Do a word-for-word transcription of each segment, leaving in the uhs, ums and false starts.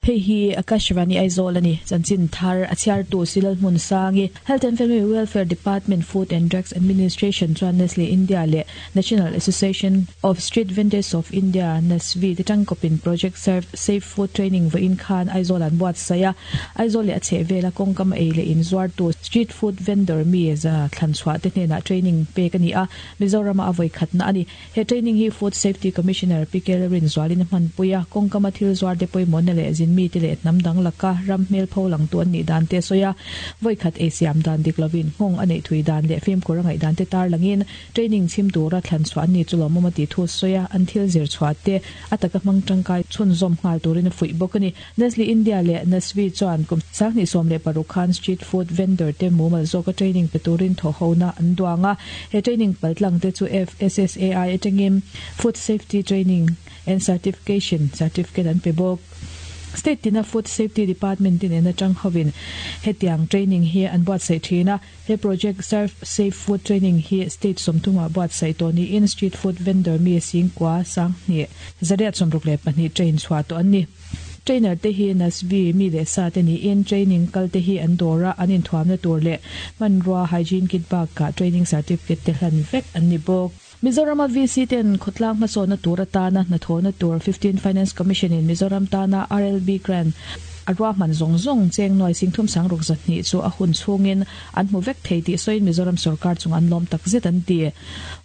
Hei hi Akashvani Aizawl ani chanchin thar a chhiartu Silal Hmun Sangi Health and Family Welfare Department Food and Drugs Administration chuan Nestle India leh National Association of Street Vendors of India NASVI te tangkawpin Project Serve Safe Food Training vawiin khan Aizawl an buatsaih a Aizawl leh a chhehvela kawngkam ei leh inzuartu street food vendor mi za thlanchhuah te hnenah training pek a ni a Mizorama a vawi khatna a ni he training hi Food Safety Commissioner P K Rinzualin a hmanpui a kawngkama thil zuar te pawimawhna leh zin mi te leh hnam dang laka ram hmel pho lang tu an nih dan te sawi a vawi khat ei siam dan dik lovin nghawng a neih thui dan leh fimkhur a ngaih dan te tar langin training chhim tura thlan chhuah an ni chu lawmawm a tih thu sawi a an thil zir chhuah te a taka hmang tangkai chhunzawm nghal turin a fuih bawk a ni Nestle India leh NASVI chuan kum sanghnih sawm leh paruk khan street food vendor te mumal zawka training pe turin thaw hona an duang a he training paltlang te chu F S S A I atangin Food Safety Training and Certification certificate an pe bawk State tina Food Safety Department tin en atang hovin hetiang training hi an buatsaih thin a he project Serve Safe Food Training hi state sawmthuma buatsaih tawh niin street food vendor mi singkua sanghnih zariat sawmruk leh pahnih train chhuah tawh an ni trainer te hi NASVI mi leh sa te niin training kal te hi an dawra an inthuamna tur leh hmanrua hygiene kit bakah training certificate te hlan vek an ni bawk Mizoram V C ten khawtlang hmasawnna tur atana hnathawhna tur fifteen Finance Commission in Mizoram tana R L B grant a ruahman zawng zawng cheng nuai singthum sangruk zahnih chu a hun chhungin an hmu vek thei tih sawiin Mizoram sarkar chung an lawm tak zet an ti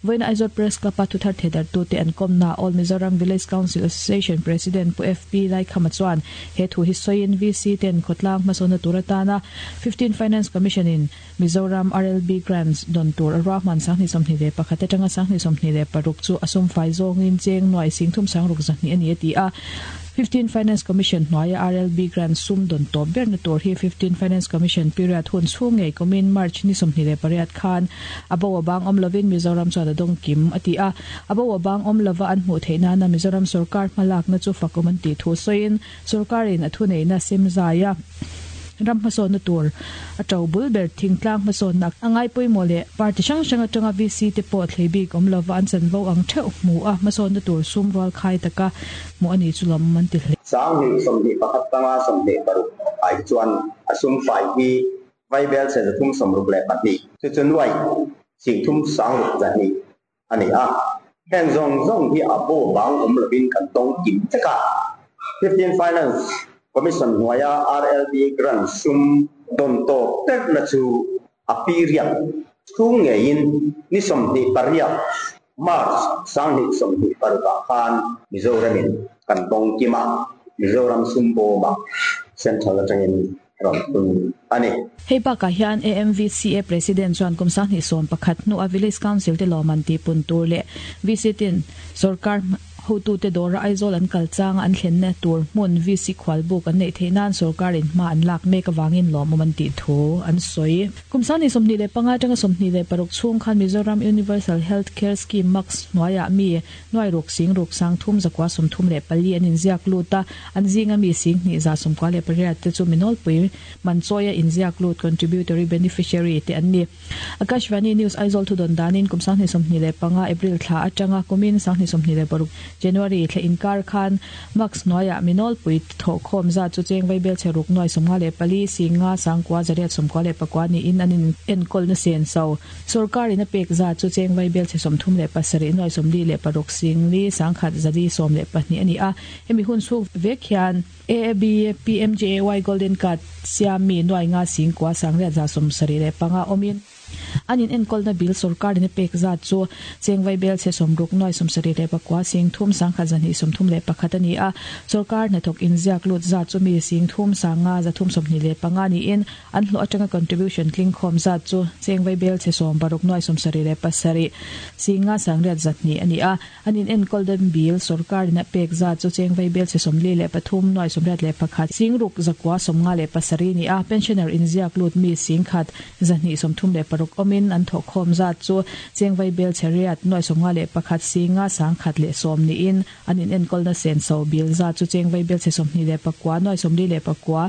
vawiin Aizawl Press Club a thuthar thedar tu te an kawmna All Mizoram Village Council Association President Pu F P Laikhama chuan he thu hi sawiin V C ten khawtlang hmasawnna tur atana fifteen Finance Commission in Mizoram R L B grants don tur a ruahman sanghnih sawmhnih leh pakhat atanga sanghnih sawmhnih leh paruk chu a sum fai zawngin cheng nuai singthum sangruk zahnih ani a ti a fifteen Finance Commission hnuaia R L B grant sum don tawp berna tur hi fifteen Finance Commission period hun chhung ngei kumin March ni sawmhnih leh pariat khan a bo a bang awm lovin Mizoram chuan a dawng kim a ti a a bo a bang awm lova an hmuh theih nana Mizoram sarkar hmalakna chu fakum an tih thu sawiin sarkarin a thuneihna sem zaia ram hmasawnna tur a to bul ber thingtlang hmasawnna a ngai pawimawh leh party hrang hrang atanga V C te pawh thlei bik awm lova an chanvo ang theuh hmu a hmasawnna tur sum rual khai taka hmuh ani chu lawm an ti hle sanghnih sawmhnih pakhat tanga sawmhnih paruk ai chuan a sum fai hi vaibel che zathum sawmruk leh pahnih chu chu nuai singthum sangruk zahnih ani a heng zawng zawng hi a bo bang awm lovin kan tawng kim cheka fifteen Finance Commission hnuaia R L B grant sum don tawp terna chu a period chhung ngeiin ni sawmhnih pariat March sanghnih sawmhnih parukah khan Mizoramin kan tawng kima Mizoram sum bawma Central atangin rawn thun ani hei bakah hian A M V C A President chuan kum sanghnih sawm pakhat hnu a Village Council te lawman ti pun tur leh V C tin sarkar hotu te dawra Aizawl an kal chang an thlenna tur hmun V C khwal buk an nei theih nan sarkarin hma an lak mek awangin lawmawm an tih thu an sawi kum sanghnih sawmhnih leh panga atanga sawmhnih leh paruk chhung khan Mizoram Universal Health Care Scheme Max hnuaiah mi nuai ruk sing ruk sang thum zakua sawmthum leh pali an inziak lut a an zinga mi singhnih za sawmkua leh pariat te chu minawlpui manchawia inziak lut contributory beneficiary te an ni Akashvani News Aizawl thu don danin kum sanghnih sawmhnih leh panga April thla atanga kumin sanghnih sawmhnih leh paruk January thla inkar khan Max hnuaiah minawlpui thaw khawm za chu cheng vaibel che ruk nuai sawmnga leh pali singa sangkua zariat sawmkua leh pakua niin an in enkawl na sen so sarkarin a pek za chu cheng vaibel che sawmthum leh pasarih nuai sawmli leh paruk singli sangkhat zali sawm leh pahnih ani a hemi hun chhung vek hian A A B P M J A Y Golden Card siam mi nuai nga singkua sangriat za sawmsarih leh panga awmin anin enkawl na bil sarkarin a pek zat chu cheng vaibel che sawmruk nuai sawmsarih leh pakua singthum sangkhat zahnih sawmthum leh pakhat ani a sarkar hnathawk inziak lut zat chu mi singthum sanga zathum sawmhnih leh panga niin an hlawh atanga contribution tling khawm zat chu cheng vaibel che sawm paruk nuai sawmsarih leh pasarih singa sangriat zahnih ani a anin enkawl dan bil sarkarin a pek zat chu cheng vaibel che sawmli leh pathum nuai sawmriat leh pakhat singruk zakua sawmnga leh pasarih ni a pensioner inziak lut mi singkhat zahnih sawmthum leh paruk awmin an thaw khawm zat chu cheng vaibel cheriat nuai sawmnga leh pakhat singa sangkhat leh sawm niin an in enkawl na sen so bil zat chu cheng vaibel che sawmhnih leh pakua nuai sawmli leh pakua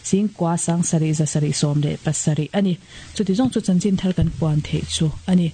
singkua sangsarih zasarih sawm leh pasarih ani chuti zawng chu chanchin thar kan puan theih chu ani.